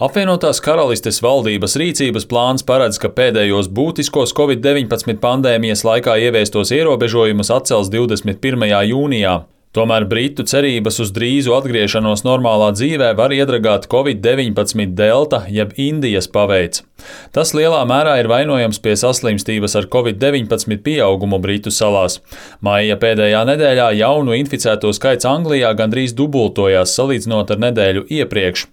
Apvienotās Karalistes valdības rīcības plāns paredz, ka pēdējos būtiskos Covid-19 pandēmijas laikā ieviestos ierobežojumus atcels 21. jūnijā. Tomēr Britu cerības uz drīzu atgriešanos normālā dzīvē var iedragāt Covid-19 delta jeb Indijas paveids. Tas lielā mērā ir vainojams pie saslimstības ar Covid-19 pieaugumu Britu salās. Maija pēdējā nedēļā jaunu inficēto skaits Anglijā gandrīz dubultojās salīdzinot ar nedēļu iepriekš.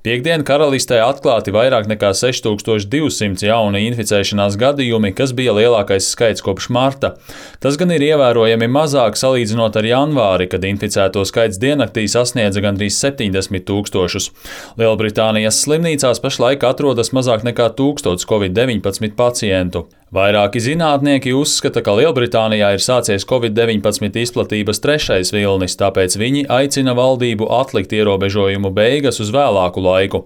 Piektdien Karalistē atklāti vairāk nekā 6200 jauni inficēšanās gadījumi, kas bija lielākais skaits kopš marta. Tas gan ir ievērojami mazāk salīdzinot ar janvāri, kad inficēto skaits diennaktī sasniedza gandrīz 70 000. Lielbritānijas slimnīcās pašlaik atrodas mazāk nekā 1000 Covid-19 pacientu. Vairāki zinātnieki uzskata, ka Lielbritānijā ir sācies Covid-19 izplatības trešais vilnis, tāpēc viņi aicina valdību atlikt ierobežojumu beigas uz vēlāku laiku.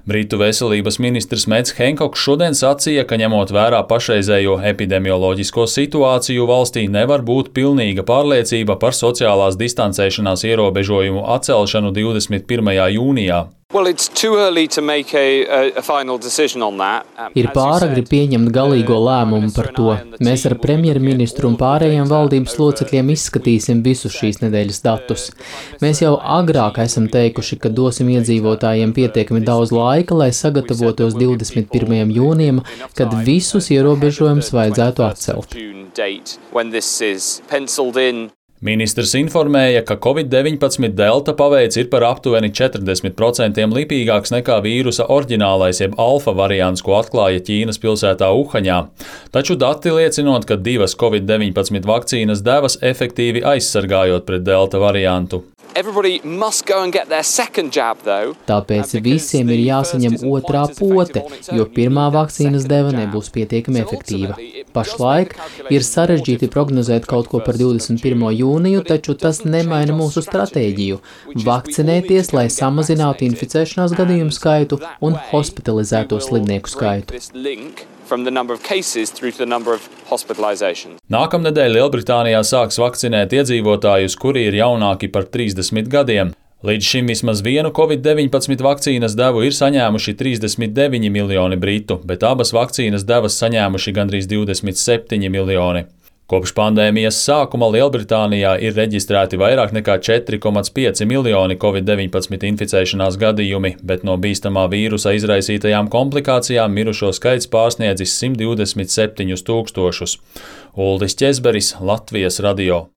Britu veselības ministrs Mads Hancocks šodien sacīja, ka ņemot vērā pašreizējo epidemioloģisko situāciju valstī nevar būt pilnīga pārliecība par sociālās distancēšanās ierobežojumu atcelšanu 21. jūnijā. Ir pāragri pieņemt galīgo lēmumu par to. Mēs ar premjerministru un pārējiem valdības locekļiem izskatīsim visus šīs nedēļas datus. Mēs jau agrāk esam teikuši, ka dosim iedzīvotājiem pietiekami daudz laika, lai sagatavotos 21. jūnijam, kad visus ierobežojumus vajadzētu atcelt. Ministrs informēja, ka Covid-19 delta paveids ir par aptuveni 40% lipīgāks nekā vīrusa oriģinālais jeb alfa variants, ko atklāja Ķīnas pilsētā Uhaņā. Taču dati liecinot, ka 2 Covid-19 vakcīnas devas efektīvi aizsargājot pret delta variantu. Tāpēc visiem ir jāsaņem otrā pote, jo pirmā vakcīnas deva nebūs pietiekami efektīva. Pašlaik ir sarežģīti prognozēt kaut ko par 21. jūniju, taču tas nemaina mūsu stratēģiju – vakcinēties, lai samazinātu inficēšanās gadījumu skaitu un hospitalizēto slimnieku skaitu. Nākamnedēļ Lielbritānijā sāks vakcinēt iedzīvotājus, kuri ir jaunāki par 30 gadiem. Līdz šim vismaz vienu Covid-19 vakcīnas devu ir saņēmuši 39 miljoni britu, bet abas vakcīnas devas saņēmuši gandrīz 27 miljoni. Kopš pandēmijas sākuma Lielbritānijā ir reģistrēti vairāk nekā 4,5 miljoni Covid-19 inficēšanās gadījumi, bet no bīstamā vīrusa izraisītajām komplikācijām mirušo skaits pārsniedzis 127 000. Uldis Ķezberis, Latvijas radio.